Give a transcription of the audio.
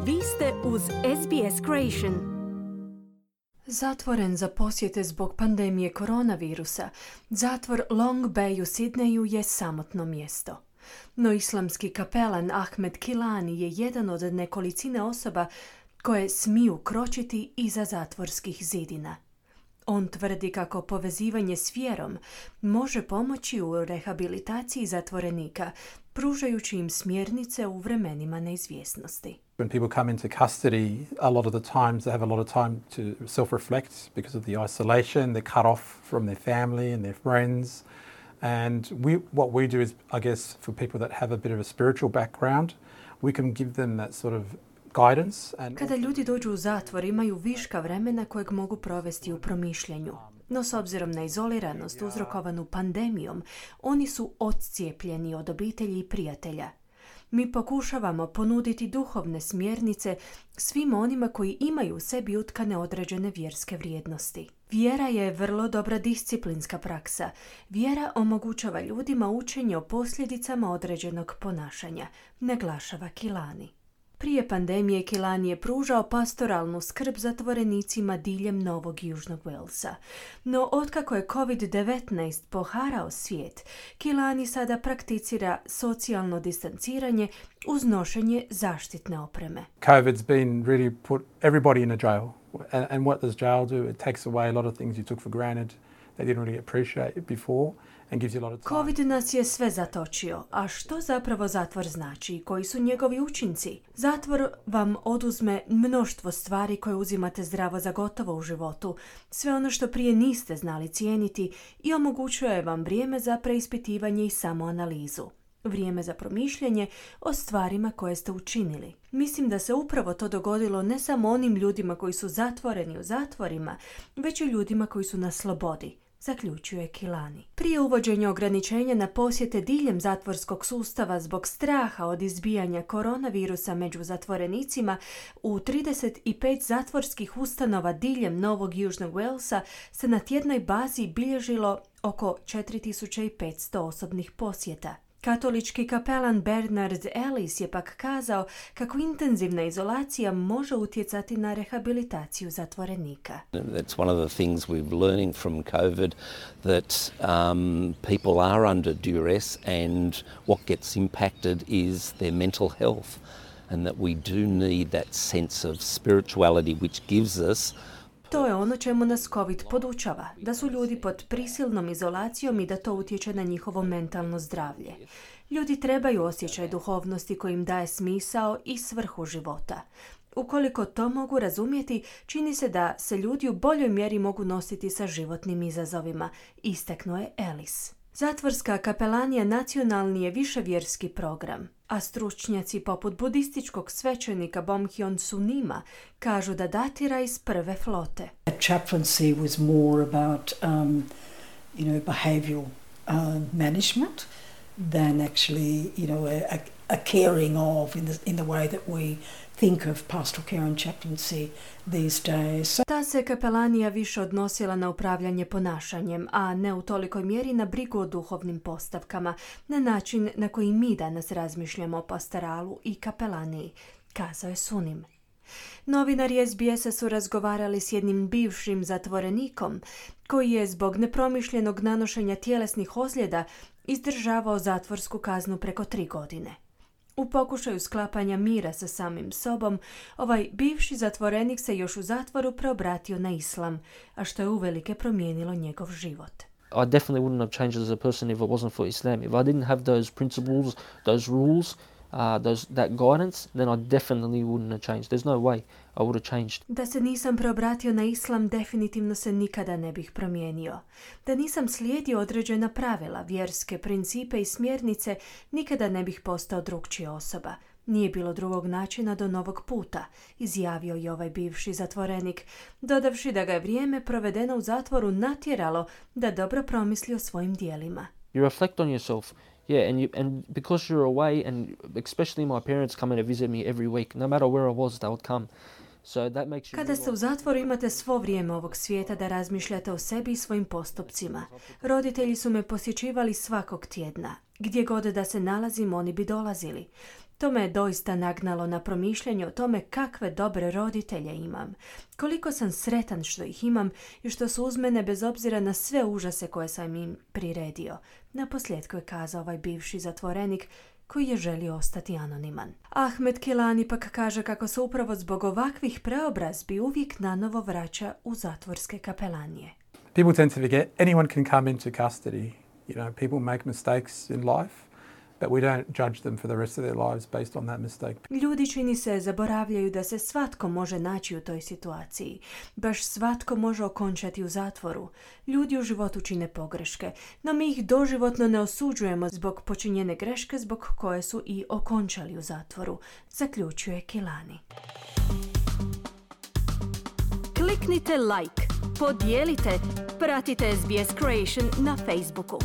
Vi ste uz SBS Creation. Zatvoren za posjete zbog pandemije koronavirusa, zatvor Long Bay u Sidneju je samotno mjesto. No islamski kapelan Ahmed Kilani je jedan od nekolicine osoba koje smiju kročiti iza zatvorskih zidina. On tvrdi kako povezivanje s vjerom može pomoći u rehabilitaciji zatvorenika, pružajući im smjernice u vremenima neizvjesnosti. When people come into custody, a lot of the times they have a lot of time to self-reflect because of the isolation. They're cut off from their family and their friends. And what we do is, I guess, for people that have a bit of a spiritual background, we can give them that sort of guidance. Kada ljudi dođu u zatvor, imaju viška vremena kojeg mogu provesti u promišljanju. No s obzirom na izoliranost uzrokovanu pandemijom, oni su odcijepljeni od obitelji i prijatelja. Mi pokušavamo ponuditi duhovne smjernice svim onima koji imaju u sebi utkane određene vjerske vrijednosti. Vjera je vrlo dobra disciplinska praksa. Vjera omogućava ljudima učenje o posljedicama određenog ponašanja, naglašava Kilani. Prije pandemije Kilani je pružao pastoralnu skrb zatvorenicima diljem Novog Južnog Walesa. No otkako je COVID-19 poharao svijet, Kilani sada prakticira socijalno distanciranje uz nošenje zaštitne opreme. COVID's been really put everybody in a jail. And what does jail do? It takes away a lot of things you took for granted that you didn't really appreciate before. Covid nas je sve zatočio, a što zapravo zatvor znači i koji su njegovi učinci? Zatvor vam oduzme mnoštvo stvari koje uzimate zdravo za gotovo u životu, sve ono što prije niste znali cijeniti i omogućuje vam vrijeme za preispitivanje i samoanalizu. Vrijeme za promišljanje o stvarima koje ste učinili. Mislim da se upravo to dogodilo ne samo onim ljudima koji su zatvoreni u zatvorima, već i ljudima koji su na slobodi, zaključuje Kilani. Prije uvođenja ograničenja na posjete diljem zatvorskog sustava zbog straha od izbijanja koronavirusa među zatvorenicima, u 35 zatvorskih ustanova diljem Novog Južnog Walesa se na tjednoj bazi bilježilo oko 4500 osobnih posjeta. Katolički kapelan Bernard Ellis je pak kazao kako intenzivna izolacija može utjecati na rehabilitaciju zatvorenika. That's one of the things we're learning from COVID, that people are under duress and what gets impacted is their mental health, and that we do need that sense of spirituality which gives us. To je ono čemu nas COVID podučava, da su ljudi pod prisilnom izolacijom i da to utječe na njihovo mentalno zdravlje. Ljudi trebaju osjećaj duhovnosti koji im daje smisao i svrhu života. Ukoliko to mogu razumjeti, čini se da se ljudi u boljoj mjeri mogu nositi sa životnim izazovima, istaknuo je Ellis. Zatvorska kapelanija nacionalni je viševjerski program, a stručnjaci poput budističkog svećenika Bomhyon Sunima kažu da datira iz prve flote. Chaplaincy was more about behavioral management than actually a caring of in the way that we think of pastoral care and chaplaincy these days. Ta se kapelanija više odnosila na upravljanje ponašanjem, a ne u tolikoj mjeri na brigu o duhovnim postavkama, na način na koji mi danas razmišljamo o pastoralu i kapelaniji, kazao je Sunim. Novinari SBS-a su razgovarali s jednim bivšim zatvorenikom koji je zbog nepromišljenog nanošenja tjelesnih ozljeda izdržavao zatvorsku kaznu preko 3 godine. U pokušaju sklapanja mira sa samim sobom, ovaj bivši zatvorenik se još u zatvoru preobratio na islam, a što je uvelike promijenilo njegov život. I definitely wouldn't have changed as a person if it wasn't for Islam. If I didn't have those principles, those rules, that guidance, then I definitely wouldn't have changed. There's no way I would have changed. Da se nisam preobratio na islam, definitivno se nikada ne bih promijenio. Da nisam slijedio određena pravila, vjerske principe i smjernice, nikada ne bih postao drugčija osoba. Nije bilo drugog načina do novog puta, izjavio je ovaj bivši zatvorenik, dodavši da ga je vrijeme provedeno u zatvoru natjeralo da dobro promisli o svojim djelima. You reflect on yourself. Yeah, and because you're away, and especially my parents coming to visit me every week, no matter where I was, they would come. So that makes you. Kada ste u zatvoru, imate svo vrijeme ovog svijeta da razmišljate o sebi i svojim postupcima. Roditelji su me posjećivali svakog tjedna. Gdje god da se nalazim, oni bi dolazili. To me je doista nagnalo na promišljanje o tome kakve dobre roditelje imam. Koliko sam sretan što ih imam i što su uz mene bez obzira na sve užase koje sam im priredio. Naposljetku je kazao ovaj bivši zatvorenik koji je želio ostati anoniman. Ahmed Kilani pak kaže kako se upravo zbog ovakvih preobrazbi uvijek nanovo vraća u zatvorske kapelanije. People tend to forget anyone can come into custody. People make mistakes in life, but we don't judge them for the rest of their lives based on that mistake. Ljudi, čini se, zaboravljaju da se svatko može naći u toj situaciji. Baš svatko može okončati u zatvoru. Ljudi u životu čine pogreške, no mi ih doživotno ne osuđujemo zbog počinjene greške zbog koje su i okončali u zatvoru, zaključuje Kilani. Kliknite like, podijelite, pratite SBS Creation na Facebooku.